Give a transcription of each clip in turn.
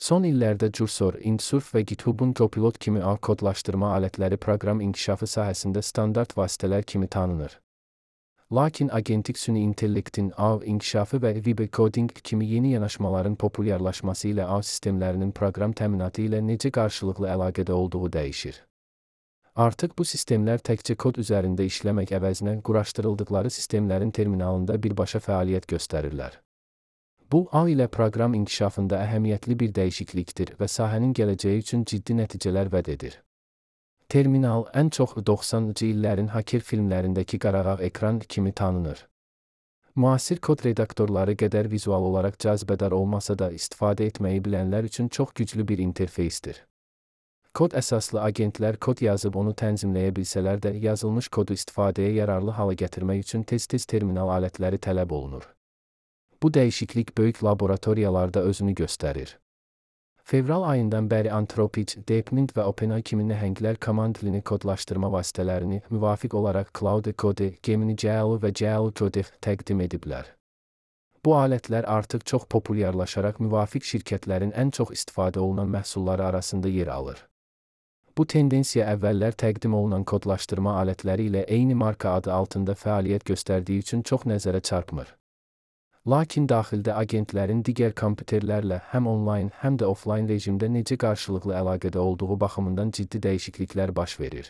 Son illərdə Cursor, Indsurf və GitHub'un Copilot kimi ağ kodlaşdırma alətləri proqram inkişafı sahəsində standart vasitələr kimi tanınır. Lakin agentik süni intellektin ağ inkişafı və vibe coding kimi yeni yanaşmaların populyarlaşması ilə ağ sistemlərinin proqram təminatı ilə necə qarşılıqlı əlaqədə olduğu dəyişir. Artıq bu sistemlər təkcə kod üzərində işləmək əvəzinə quraşdırıldıqları sistemlərin terminalında birbaşa fəaliyyət göstərirlər. Bu, ağ ilə proqram inkişafında əhəmiyyətli bir dəyişiklikdir və sahənin gələcəyi üçün ciddi nəticələr vəd edir. Terminal ən çox 90-cı illərin hacker filmlərindəki qarağağ ekran kimi tanınır. Müasir kod redaktorları qədər vizual olaraq cazibədar olmasa da istifadə etməyi bilənlər üçün çox güclü bir interfeysdir. Kod əsaslı agentlər kod yazıb onu tənzimləyə bilsələr də yazılmış kodu istifadəyə yararlı hala gətirmək üçün tez-tez terminal alətləri tələb olunur. Bu dəyişiklik böyük laboratoriyalarda özünü göstərir. Fevral ayından bəri Anthropic, DeepMind və OpenAI kimi nəhənglər komand dilini kodlaşdırma vasitələrini müvafiq olaraq Claude Code, Gemini GL və GL Code təqdim ediblər. Bu alətlər artıq çox populyarlaşaraq müvafiq şirkətlərin ən çox istifadə olunan məhsulları arasında yer alır. Bu tendensiya əvvəllər təqdim olunan kodlaşdırma alətləri ilə eyni marka adı altında fəaliyyət göstərdiyi üçün çox nəzərə çarpmır. Lakin daxildə agentlərin digər kompüterlərlə həm onlayn, həm də offlayn rejimdə necə qarşılıqlı əlaqədə olduğu baxımından ciddi dəyişikliklər baş verir.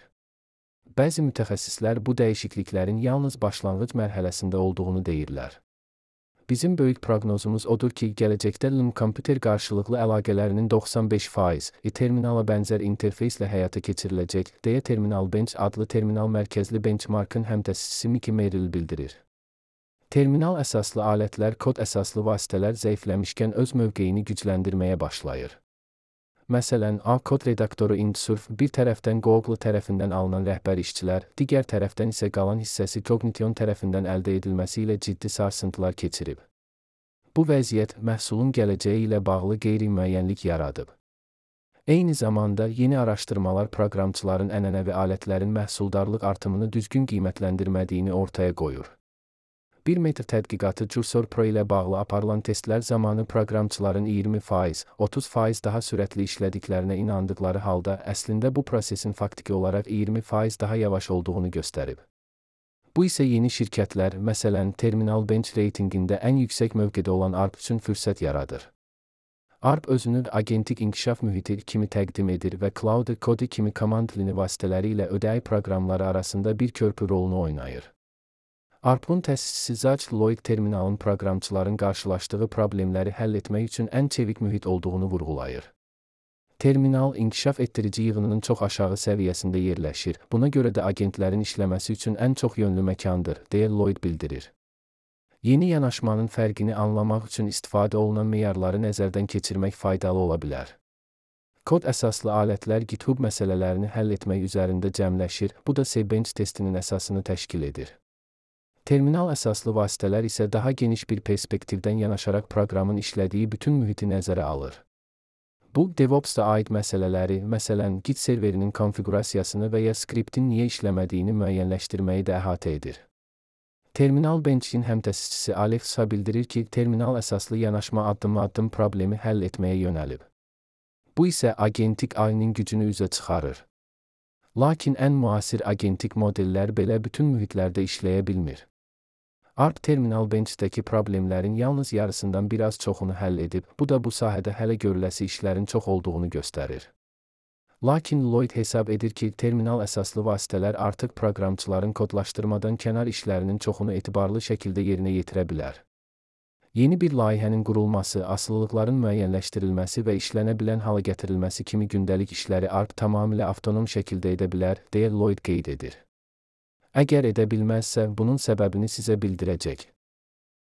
Bəzi mütəxəssislər bu dəyişikliklərin yalnız başlanğıc mərhələsində olduğunu deyirlər. Bizim böyük proqnozumuz odur ki, gələcəkdə kompüter qarşılıqlı əlaqələrinin 95% terminala bənzər interfeyslə həyata keçiriləcək, deyə Terminal Bench adlı terminal mərkəzli benchmarkın həmtəsisi Mickey Merrill bildirir. Terminal əsaslı alətlər kod əsaslı vasitələr zəifləmişkən öz mövqeyini gücləndirməyə başlayır. Məsələn, ağ kod redaktoru Indsurf bir tərəfdən Google tərəfindən alınan rəhbər işçilər, digər tərəfdən isə qalan hissəsi Cognition tərəfindən əldə edilməsi ilə ciddi sarsıntılar keçirib. Bu vəziyyət məhsulun gələcəyi ilə bağlı qeyri-müəyyənlik yaradıb. Eyni zamanda yeni araşdırmalar proqramçıların ənənəvi alətlərin məhsuldarlıq artımını düzgün qiymətləndirmədiyini ortaya qoyur. Bir metr tədqiqatı Cursor Pro ilə bağlı aparılan testlər zamanı proqramçıların 20%, 30% daha sürətli işlədiklərinə inandıqları halda əslində bu prosesin faktiki olaraq 20% daha yavaş olduğunu göstərib. Bu isə yeni şirkətlər, məsələn, Terminal Bench reytinqində ən yüksək mövqedə olan ARP üçün fürsət yaradır. ARP özünü agentik inkişaf mühiti kimi təqdim edir və Claude Code kimi komand dilini vasitələri ilə ödəyi proqramları arasında bir körpü rolunu oynayır. ARP-ın təsisçisi Zach Lloyd terminalın proqramçıların qarşılaşdığı problemləri həll etmək üçün ən çevik mühit olduğunu vurğulayır. Terminal inkişaf etdirici yığınının çox aşağı səviyyəsində yerləşir, buna görə də agentlərin işləməsi üçün ən çox yönlü məkandır, deyə Lloyd bildirir. Yeni yanaşmanın fərqini anlamaq üçün istifadə olunan meyarları nəzərdən keçirmək faydalı ola bilər. Kod əsaslı alətlər GitHub məsələlərini həll etmək üzərində cəmləşir, bu da C-Bench testinin əsasını təşkil edir. Terminal əsaslı vasitələr isə daha geniş bir perspektivdən yanaşaraq proqramın işlədiyi bütün mühiti nəzərə alır. Bu, DevOps-da aid məsələləri, məsələn, Git serverinin konfiqurasiyasını və ya skriptin niyə işləmədiyini müəyyənləşdirməyi də əhatə edir. Terminal Bench-in həmtəsisçisi Alex bildirir ki, terminal əsaslı yanaşma addım-addım problemi həll etməyə yönəlib. Bu isə agentik ağının gücünü üzə çıxarır. Lakin ən müasir agentik modellər belə bütün mühitlərdə işləyə bilmir. ARP Terminal Bench-dəki problemlərin yalnız yarısından biraz çoxunu həll edib, bu da bu sahədə hələ görüləsi işlərin çox olduğunu göstərir. Lakin Lloyd hesab edir ki, terminal əsaslı vasitələr artıq proqramçıların kodlaşdırmadan kənar işlərinin çoxunu etibarlı şəkildə yerinə yetirə bilər. Yeni bir layihənin qurulması, asılılıqların müəyyənləşdirilməsi və işlənə bilən hala gətirilməsi kimi gündəlik işləri ARP tamamilə avtonom şəkildə edə bilər, deyə Lloyd qeyd edir. Əgər edə bilməzsə, bunun səbəbini sizə bildirəcək.